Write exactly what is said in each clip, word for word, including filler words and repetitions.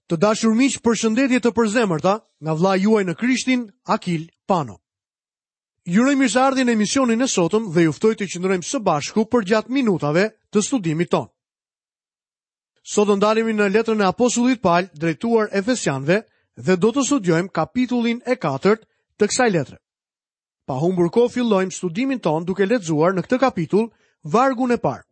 Të dashur miq, përshëndetje të përzemërta nga vëllai juaj në Krishtin, Akil Pano. Ju uroj mirëseardhjen në emisionin e sotëm dhe ju ftoj të qëndrojmë së bashku përgjatë minutave të studimit tonë. Sot do ndalemi në letrën e apostullit Paul drejtuar Efesianëve dhe do të studiojmë kapitullin e katërt të kësaj letre. Pa humbur kohë fillojmë studimin tonë duke lexuar në këtë kapitull vargun e parë.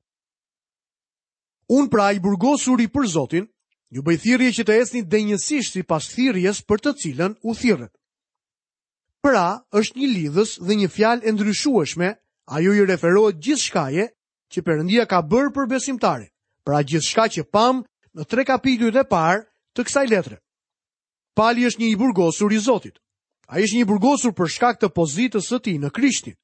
Unë pra i burgosuri për Zotin, ju bëj thirrje që të ecni denjësisht sipas thirrjes për të cilën u thirrët. Pra, është një lidhës dhe një fjalë e ndryshueshme, ajo i referohet gjithçkaje që Perëndia ka bërë për besimtarin, pra gjithçka që pam në tre kapitujt e parë të kësaj letre. Pali është një i burgosur i Zotit. Ai është një i burgosur për shkak të pozitës së tij në Krishtin.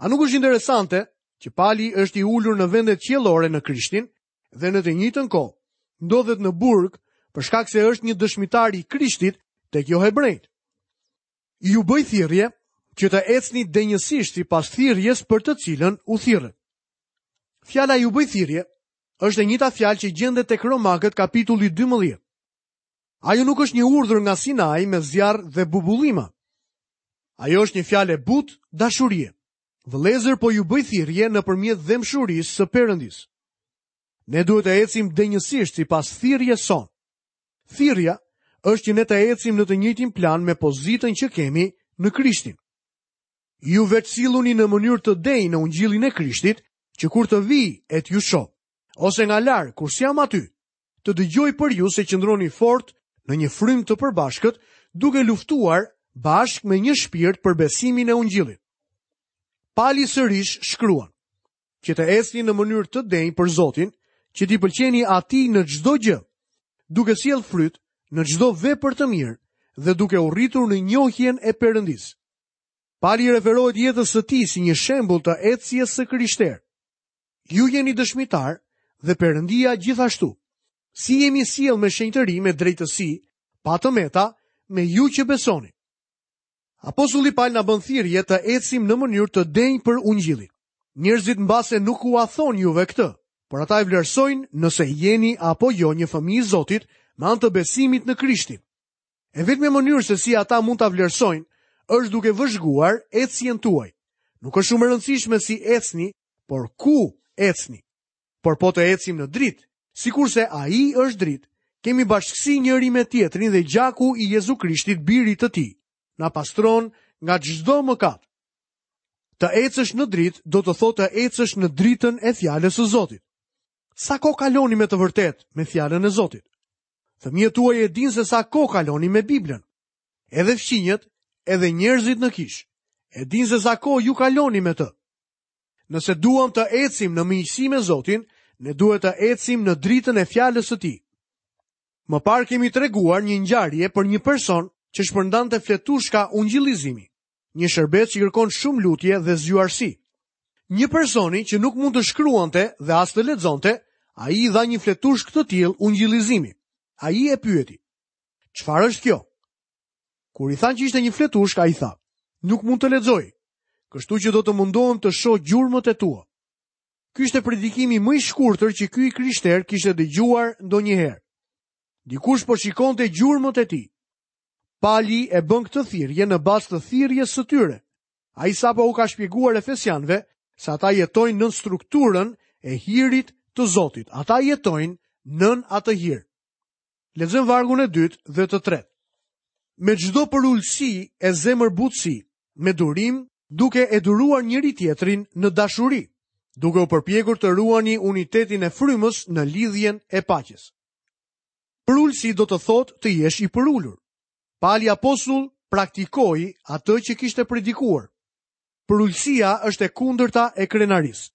A nuk është interesante që Pali është i ulur në vendet qiellore në Krishtin dhe në të njëjtën kohë ndodhet në burg për shkak se është një dëshmitar i Krishtit tek jo hebrejt. Ju bëj thirrje që të ecni denjësisht sipas thirrjes për të cilën u thirrët. Fjala ju bëj thirrje është e njëjta fjalë që gjendet tek Romakët kapitulli dymbëdhjetë. Ajo nuk është një urdhër nga Sinai me zjarr dhe bubullima. Ajo është një fjalë e butë dashurie. Vëllezër, po ju bëj thirrje nëpërmjet dhembshurisë së Perëndisë. Ne duhet të ecim denjësisht sipas thirrjes sonë. Thirrja është që ne të ecim në të njëjtin plan me pozitën që kemi në Krishtin. Ju veç silluni në mënyrë të denjë në ungjillin e Krishtit, që kur të vij e t'ju shoh, ose nga larg kur s'jam aty, të dëgjoj për ju se qëndroni fort në një frymë të përbashkët, duke luftuar bashkë me një shpirt për besimin e ungjillit. Pali sërish shkruan, që të ecni në mënyrë të denjë për Zotin, që t'i pëlqeni atij në çdo gjë, duke sjellë fryt në çdo vepër të mirë dhe duke u rritur në njohjen e Perëndisë. Pali i referohet jetës së tij si një shembull të ecjes së krishterë. Ju jeni dëshmitar dhe Perëndia gjithashtu. Si jemi sjell me shenjtëri, me drejtësi, pa të meta, me ju që besoni. Apostulli Paul na bën thirrje të ecim në mënyrë të denjë për ungjillin. Njerëzit mbase nuk ua thonë juve këtë, por ata e vlerësojnë nëse jeni apo jo një fëmijë i Zotit me anë të besimit në Krishtin. E vetmja mënyrë se si ata mund ta vlerësojnë është duke vëzhguar ecjen tuaj. Nuk është shumë e rëndësishme si ecni, por ku ecni. Por po të ecim në dritë, sikurse ai është dritë, kemi bashkësi njëri me tjetrin dhe gjaku i Jezu Krishtit, birit të tij, na pastron nga çdo mëkat. Të ecësh në dritë do të thotë të ecësh në dritën e fjalës së Zotit. Sa kohë kaloni me të vërtetë me fjalën e Zotit? Fëmijët tuaj e dinë se sa kohë kaloni me Biblën. Edhe fqinjët, edhe njerëzit në kishë e dinë se sa kohë ju kaloni me të. Nëse duam të ecim në miqësi me Zotin, ne duhet të ecim në dritën e fjalës së tij. Më parë kemi treguar një ngjarje për një person që shpërndante fletushka ungjillizimi, një shërbes që kërkon shumë lutje dhe zgjuarsi. Një personi që nuk mund të shkruante dhe as të lexonte, ai i dha një fletushkë të tillë ungjillizimi. Ai e pyeti: "Çfarë është kjo?" Kur i thanë që ishte një fletushkë, ai tha: "Nuk mund të lexoj, kështu që do të mundohem të shoh gjurmët e tua." Ky ishte predikimi më i shkurtër që ky i krishter kishte dëgjuar ndonjëherë. Dikush po shikonte gjurmët e tij. Pali e bën këtë thirrje në bazë të thirrjes së tyre. Ai sapo u ka shpjeguar Efesianëve se ata jetojnë nën strukturën e hirit të Zotit. Ata jetojnë nën atë hir. Lexojmë vargun e dytë dhe të tretë. Me çdo përulësi e zemërbutësi, me durim, duke e duruar njëri tjetrin në dashuri, duke u përpjekur të ruani unitetin e frymës në lidhjen e paqes. Përulësi do të thotë të jesh i përulur. Pali apostull praktikoi atë që kishte predikuar. Përulësia është e kundërta e krenarisë.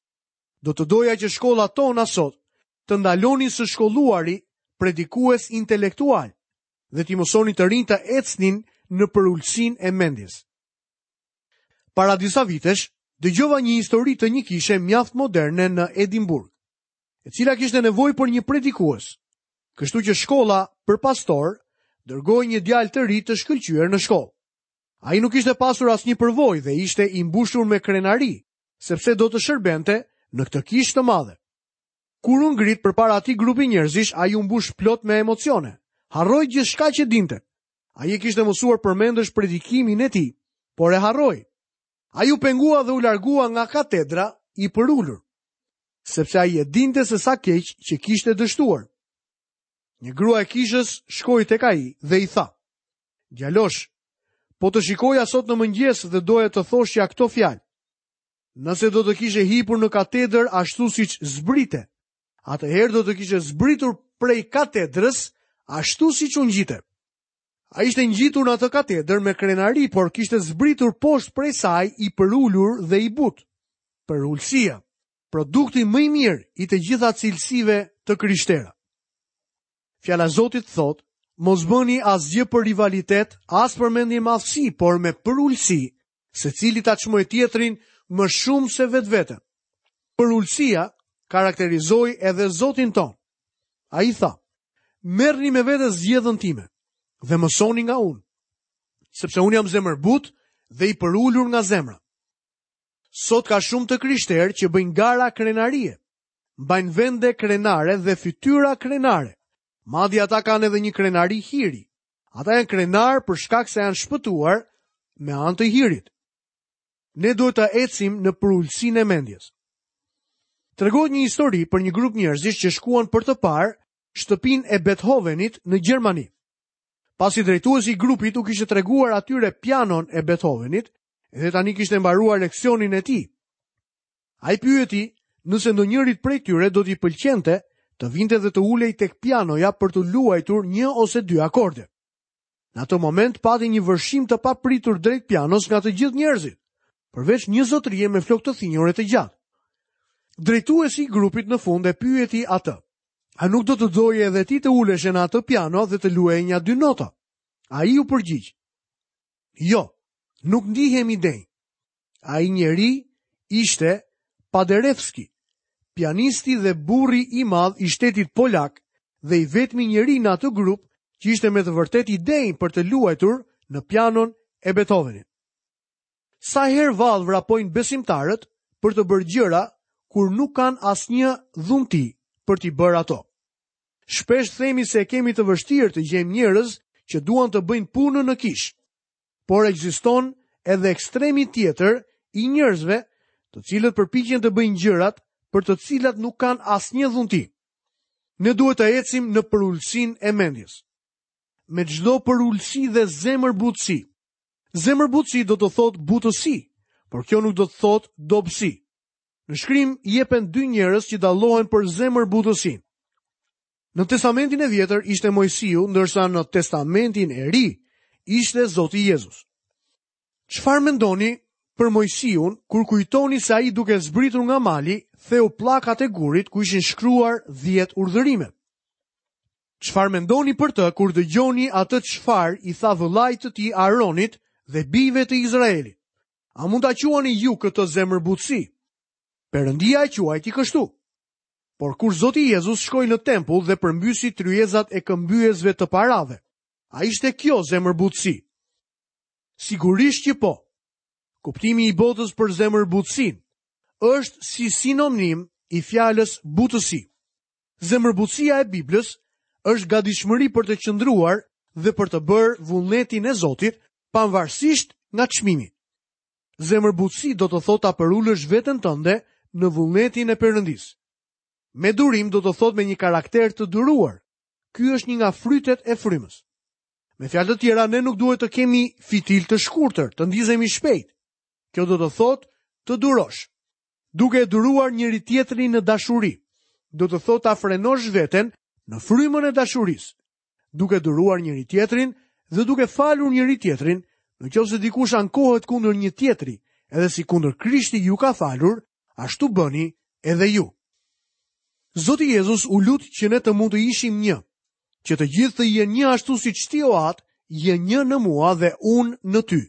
Do të doja që shkollat tona sot të ndalonin së shkolluari predikues intelektual dhe t'i mësonin të rinj të ecnin në përulësinë e mendjes. Para disa vitesh, dëgjova një histori të një kishe mjaft moderne në Edinburgh, e cila kishte nevojë për një predikues. Kështu që shkolla për pastor dërgoi një djalë të ri të shkëlqyer në shkollë. Ai nuk kishte pasur asnjë përvojë dhe ishte i mbushur me krenari, sepse do të shërbente në këtë kishë të madhe. Kur u ngrit përpara atij grupi njerëzish, ai u mbush plot me emocione. Harroi gjithçka që dinte. Ai e kishte mësuar përmendësh predikimin e tij, por e harroi. Ai u pengua dhe u largua nga katedra i përulur, sepse ai e dinte se sa keq që kishte dështuar. Një grua e kishës shkoi tek ai dhe i tha: "Djalosh, po të shikoja sot në mëngjes dhe doja të thoshja këto fjalë. Nëse do të kishe hipur në katedër ashtu siç zbrite, atëherë do të kishe zbritur prej katedrës ashtu siç u ngjite." Ai ishte ngjitur në atë katedër me krenari, por kishte zbritur poshtë prej saj i përulur dhe i butë. Përulësia, produkti më i mirë i të gjitha cilësive të krishtera. Fjala e Zotit thotë: mos bëni asgjë për rivalitet, as për mendjemadhësi, por me përulësi, secili ta çmojë tjetrin më shumë se vetveten. Përulësia karakterizoi edhe Zotin ton. Ai tha: merrni me vete zgjedhën time dhe mësoni nga unë, sepse unë jam zemërbut dhe i përulur nga zemra. Sot ka shumë të krishterë që bëjnë gara krenarie, mbajnë vende krenare dhe fytyra krenare. Madje ata kanë edhe një krenari hiri. Ata janë krenar për shkak se janë shpëtuar me anë të hirit. Ne duhet të ecim në përulësinë e mendjes. Tregohet një histori për një grup njerëzish që shkuan për të parë shtëpinë e Beethovenit në Gjermani. Pasi drejtuesi i grupit u kishte treguar atyre pianon e Beethovenit, dhe tani kishte mbaruar leksionin e tij. Ai pyeti nëse ndonjërit prej tyre do t'i pëlqente të vinte dhe të ulej tek pianoja për të luajtur një ose dy akorde. Në atë moment pati një vërshim të papritur drejt pianos nga të gjithë njerëzit, përveç një zotërie me flokë të thinjur e të gjatë. Drejtuesi i grupit në fund e pyeti atë: a nuk do të doje edhe ti të uleshe në atë piano dhe të luaje një dy nota? Ai u përgjigj: jo, nuk ndihem i denjë. Ai njeri ishte Paderewski, pianisti dhe burri i madh i shtetit polak dhe i vetmi njeri në atë grup që ishte me të vërtetë i denjë për të luajtur në pianon e Beethovenit. Sa herë vallë vrapojnë besimtarët për të bërë gjëra kur nuk kanë asnjë dhunti për t'i bërë ato. Shpesh themi se kemi të vështirë të gjejmë njerëz që duan të bëjnë punën në kishë, por ekziston edhe ekstremi tjetër i njerëzve, të cilët përpiqen të bëjnë gjërat për të cilat nuk kanë asnjë dhunti. Ne duhet të ecim në përulësinë e mendjes. Me çdo përulësi dhe zemërbutësi. Zemërbutësi do të thotë butësi, por kjo nuk do të thotë dobësi. Në shkrim jepen dy njerëz që dallohen për zemërbutësinë. Në Testamentin e Vjetër ishte Moisiu, ndërsa në Testamentin e Ri ishte Zoti Jezus. Çfarë mendoni për Moisiun kur kujtoni se ai duke zbritur nga mali theu pllakat e gurit ku ishin shkruar dhjetë urdhërime? Çfarë mendoni për të kur dëgjoni atë çfarë i tha vëllait të tij Aaronit dhe bijve të Izraelit? A mund ta quani ju këtë zemërbutësi? Perëndia e quajti kështu. Por kur Zoti Jezus shkoi në tempull dhe përmbysi tryezat e këmbyesve të parave, a ishte kjo zemërbutësi? Sigurisht që po. Kuptimi i botës për zemërbutësinë është si sinonim i fjalës butësi. Zemërbutësia e Biblës është gatishmëri për të qëndruar dhe për të bërë vullnetin e Zotit, pavarësisht nga çmimi. Zemërbutësi do të thotë ta përulësh veten tënde në vullnetin e Perëndisë. Me durim do të thotë me një karakter të duruar. Ky është një nga frytet e frymës. Me fjalë të tjera, ne nuk duhet të kemi fitil të shkurtër, të ndizemi shpejt. Kjo do të thotë të durosh. Duke e duruar njëri tjetrin në dashuri, do të thotë ta frenosh veten në frymën e dashurisë. Duke duruar njëri tjetrin dhe duke falur njëri tjetrin, në qoftë se dikush ankohet kundër një tjetri, edhe si kundër Krishti ju ka falur, ashtu bëni edhe ju. Zoti Jezus u lut që ne të mund të ishim një, që të gjithë të jenë një ashtu siç ti, o At, je një në mua dhe unë në ty.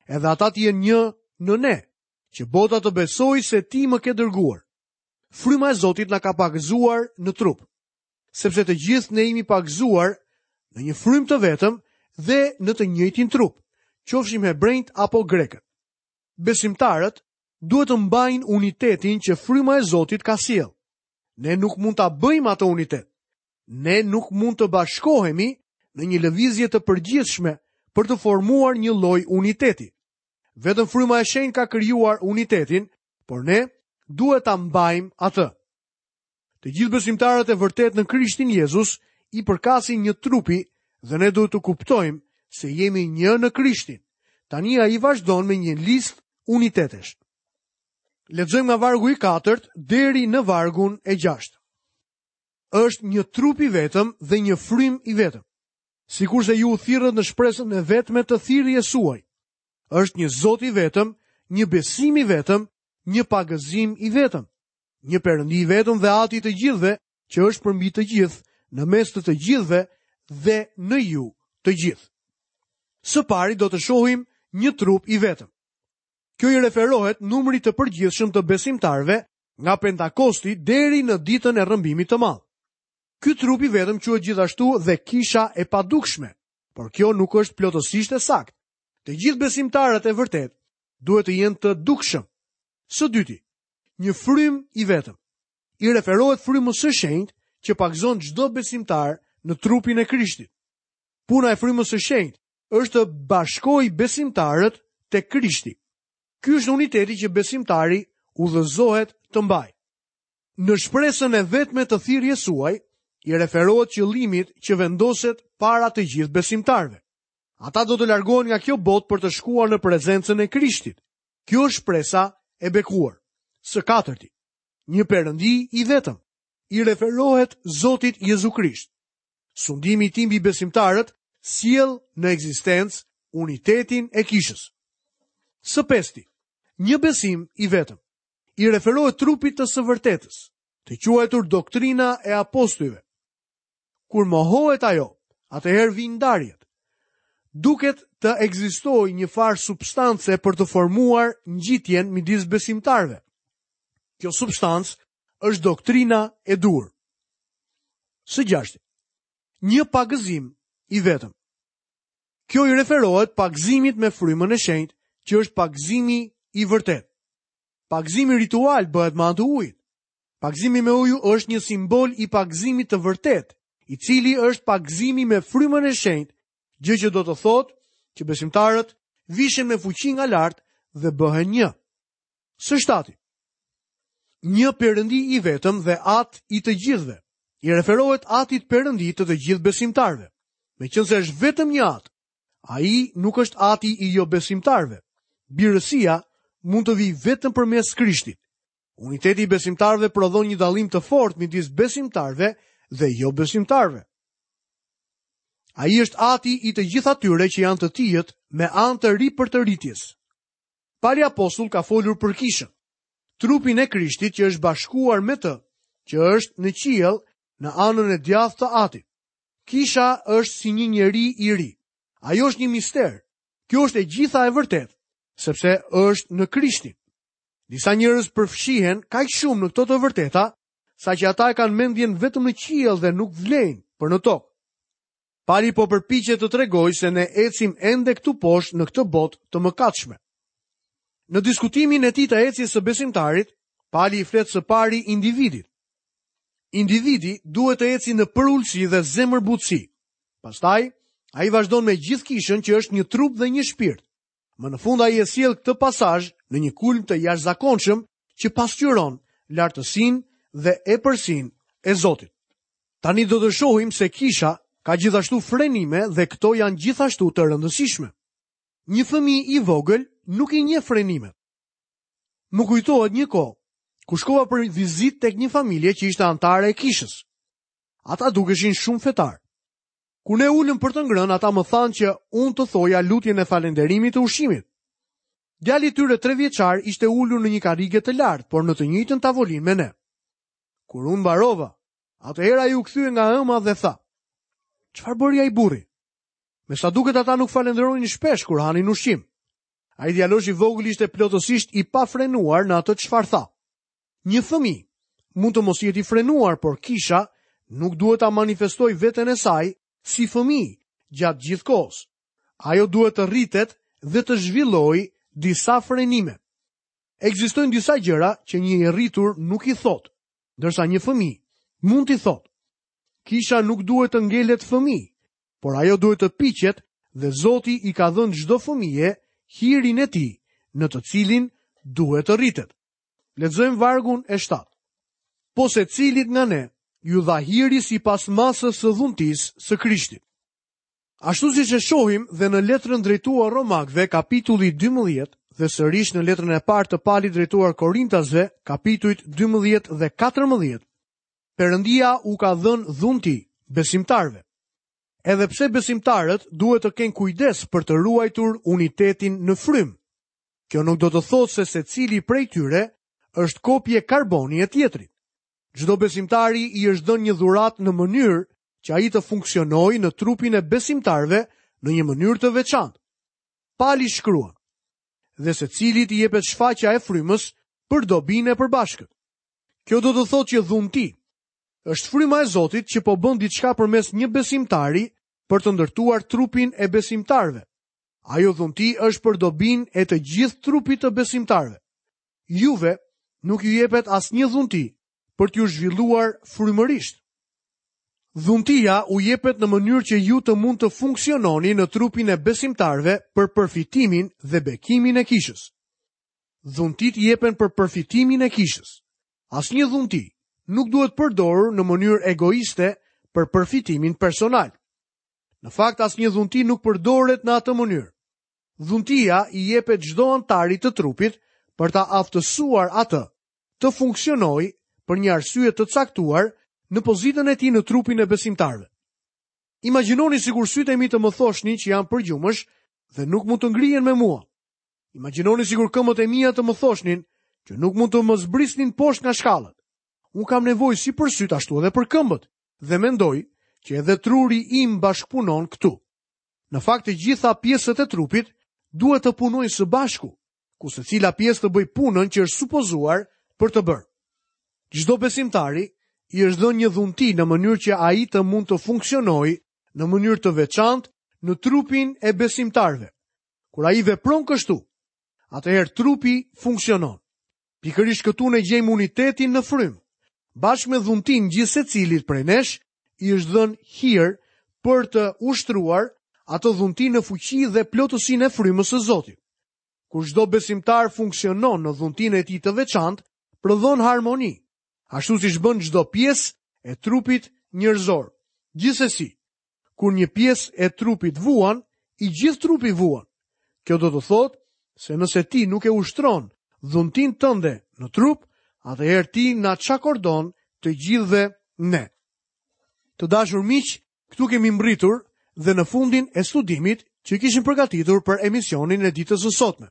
Edhe ata të jenë një në ne, që bota të besojë se ti më ke dërguar. Fryma e Zotit na ka pagëzuar në trup, sepse të gjithë ne jemi pagëzuar në një frymë të vetëm dhe në të njëjtin trup, qofshim hebrejt apo grekët. Besimtarët duhet të mbajnë unitetin që fryma e Zotit ka sjellë. Ne nuk mund ta bëjmë atë unitet. Ne nuk mund të bashkohemi në një lëvizje të përgjithshme për të formuar një lloj uniteti. Vetëm fryma e shenjtë ka krijuar unitetin, por ne duhet ta mbajmë atë. Të gjithë besimtarët e vërtetë në Krishtin Jezus i përkasin një trupi dhe ne duhet të kuptojmë se jemi një në Krishtin. Tani ai vazhdon me një listë unitetesh. Lexojmë nga vargu i katërt deri në vargun e gjashtë. Është një trup i vetëm dhe një frymë i vetëm. Sikurse ju u thirrët në shpresën e vetme të thirrjes suaj. Është një Zot i vetëm, një besim i vetëm, një pagëzim i vetëm, një Perëndi i vetëm dhe Ati i të gjithëve, që është përmbi të gjithë, në mes të të gjithëve dhe në ju të gjithë. Së pari do të shohim një trup i vetëm. Kjo i referohet numrit të përgjithshëm të besimtarëve nga Pentakosti deri në ditën e rrëmbimit të madh. Ky trup i vetëm quhet gjithashtu dhe kisha e padukshme, por kjo nuk është plotësisht e saktë. Të gjithë besimtarët e vërtetë duhet të jenë të dukshëm. Së dyti, një frymë i vetëm. I referohet frymës së shenjtë që pagëzon çdo besimtar në trupin e Krishtit. Puna e frymës së shenjtë është të bashkojë besimtarët te Krishti. Ky është uniteti që besimtari udhëzohet të mbajë. Në shpresën e vetme të thirrjes suaj, i referohet qëllimit që vendoset para të gjithë besimtarëve. Ata do të largohen nga kjo botë për të shkuar në prezencën e Krishtit. Kjo është shpresa e bekuar. Së katërti, një Perëndi i vetëm, i referohet Zotit Jezu Krisht. Sundimi i tij mbi besimtarët sjell në ekzistencë unitetin e kishës. Së pesti, një besim i vetëm, i referohet trupit të së vërtetës, të quajtur doktrina e apostujve. Kur mohohet ajo, atëherë vijnë ndarjet. Duket të ekzistojë një farë substance për të formuar ngjitjen midis besimtarëve. Kjo substancë është doktrina e duhur. Së gjashti, një pagëzim i vetëm. Kjo i referohet pagëzimit me frymën e shenjtë, që është pagëzimi i vërtetë. Pagëzimi ritual bëhet me anë të ujit. Pagëzimi me ujë është një simbol i pagëzimit të vërtetë, i cili është pagëzimi me frymën e shenjtë, gjë që do të thotë që besimtarët vishen me fuqi nga lart dhe bëhen një. Së shtati, një Perëndi i vetëm dhe At i të gjithëve. I referohet Atit Perëndi të të gjithë besimtarëve. Meqense është vetëm një At, ai nuk është Ati i jo besimtarëve. Birësia mund të vijë vetëm përmes Krishtit. Uniteti i besimtarëve prodhon një dallim të fortë midis besimtarëve dhe jo besimtarëve. Ai është Ati i të gjithë atyre që janë të tijët me anë të ripërtëritjes. Pali apostull ka folur për kishën, trupin e Krishtit që është bashkuar me të, që është në qiell në anën e djathtë të Atit. Kisha është si një njeri i ri. Ajo është një mister. Kjo është e gjitha e vërtetë, sepse është në Krishtin. Disa njerëz përfshihen kaq shumë në këto të vërteta, saqë ata e kanë mendjen vetëm në qiell dhe nuk vlejnë për në tokë. Pali po përpiqet të tregojë se ne ecim ende këtu poshtë në këtë botë të mëkatshme. Në diskutimin e tij të ecjes së besimtarit, Pali i flet së pari individit. Individi duhet të eci në përulësi dhe zemërbutësi. Pastaj, ai vazhdon me gjithë kishën që është një trup dhe një shpirt. Më në fund ai e sjell këtë pasazh në një kulm të jashtëzakonshëm që pasqyron lartësinë dhe epërsinë e Zotit. Tani do të shohim se kisha ka gjithashtu frenime dhe këto janë gjithashtu të rëndësishme. Një fëmijë i vogël nuk i njeh frenimet. Më kujtohet një kohë ku shkova për vizitë tek një familje që ishte anëtare e kishës. Ata dukeshin shumë fetar. Kur ne ulëm për të ngrënë, ata më thanë që unë të thoja lutjen e falënderimit të ushqimit. Djali i tyre tre vjeçar ishte ulur në një karrige të lartë, por në të njëjtën tavolinë me ne. Kur unë mbarova, atëherë ai u kthye nga ëma dhe tha: "Çfarë bëri ai burri?" Me sa duket ata nuk falënderonin shpesh kur hanin ushqim. Ai djalosh i vogël ishte plotësisht i pafrenuar në atë çfarë tha. Një fëmijë mund të mos jetë i frenuar, por kisha nuk duhet ta manifestojë veten e saj si fëmijë gjatë gjithë kohës. Ajo duhet të rritet dhe të zhvillojë disa frenime. Ekzistojnë disa gjëra që një i rritur nuk i thotë, ndërsa një fëmijë mund t'i thotë. Kisha nuk duhet të ngelet fëmijë, por ajo duhet të piqet dhe Zoti i ka dhënë çdo fëmije hirin e tij, në të cilin duhet të rritet. Lexojmë vargun e shtatë. Po secilit nga ne ju dha hiri sipas masës së dhuntisë së Krishtit. Ashtu siç e shohim dhe në letrën drejtuar Romakëve, kapitulli dymbëdhjetë, dhe sërish në letrën e parë të Palit drejtuar Korintasve, kapitujt dymbëdhjetë dhe katërmbëdhjetë, Perëndia u ka dhënë dhunti besimtarëve. Edhe pse besimtarët duhet të kenë kujdes për të ruajtur unitetin në frymë. Kjo nuk do të thotë se secili prej tyre është kopje karboni e tjetrit. Çdo besimtari i është dhënë një dhuratë në mënyrë që ai të funksionojë në trupin e besimtarëve në një mënyrë të veçantë. Pali shkruan: dhe secilit i jepet shfaqja e frymës për dobinë e përbashkët. Kjo do të thotë që dhunti është fryma e Zotit që po bën diçka përmes një besimtari për të ndërtuar trupin e besimtarëve. Ajo dhunti është për dobinë e të gjithë trupit të besimtarëve. Juve nuk ju jepet asnjë dhunti për t'ju zhvilluar frymërisht. Dhuntia u jepet në mënyrë që ju të mund të funksiononi në trupin e besimtarëve për përfitimin dhe bekimin e kishës. Dhuntit jepen për përfitimin e kishës. Asnjë dhunti nuk duhet përdorur në mënyrë egoiste për përfitimin personal. Në fakt, asnjë dhunti nuk përdoret në atë mënyrë. Dhuntia i jepet çdo anëtari të trupit për ta aftësuar atë të funksionojë për një arsye të caktuar në pozitën e tij në trupin e besimtarëve. Imagjinoni sikur sytë e mi të më thoshnin që jam përgjumësh dhe nuk mund të ngrihen me mua. Imagjinoni sikur këmbët e mia të më thoshnin që nuk mund të më zbrisnin poshtë nga shkallët. Unë kam nevojë si për sytë ashtu edhe për këmbët dhe mendoj që edhe truri im bashkëpunon këtu. Në fakt, të gjitha pjesët e trupit duhet të punojnë së bashku, ku secila pjesë të bëjë punën që është supozuar për të bërë. Çdo besimtari i është dhënë një dhunti në mënyrë që ai të mund të funksionojë në mënyrë të veçantë në trupin e besimtarëve. Kur ai vepron kështu, atëherë trupi funksionon. Pikërisht këtu ne gjejmë unitetin në frymë. Bashkë me dhuntin gjithsecilit prej nesh i është dhënë hir për të ushtruar atë dhunti në fuqi dhe plotësinë e frymës së Zotit. Kur çdo besimtar funksionon në dhuntinë e tij të veçantë, prodhon harmoni, ashtu siç bën çdo pjesë e trupit njerëzor. Gjithsesi, kur një pjesë e trupit vuan, i gjithë trupi vuan. Kjo do të thotë se nëse ti nuk e ushtron dhuntinë tënde në trup, atëherë ti na çakordon të gjithëve ne. Të dashur miq, këtu kemi mbritur dhe në fundin e studimit që kishim përgatitur për emisionin e ditës së sotme.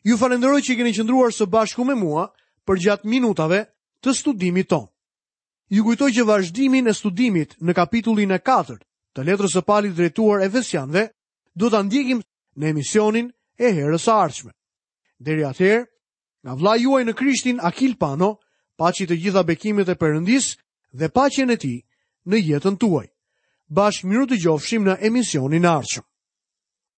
Ju falenderoj që keni qëndruar së bashku me mua përgjatë minutave të studimit tonë. Ju kujtoj që vazhdimin e studimit në kapitullin e katërt të letrës së Palit drejtuar Efesianëve do ta ndjekim në emisionin e herës së ardhshme. Deri atëherë, nga vëllai juaj në Krishtin Akil Pano, paçi të gjitha bekimet e Perëndisë dhe paqen e tij në jetën tuaj. Bashkë miru dëgjofshim në emisionin e ardhshëm.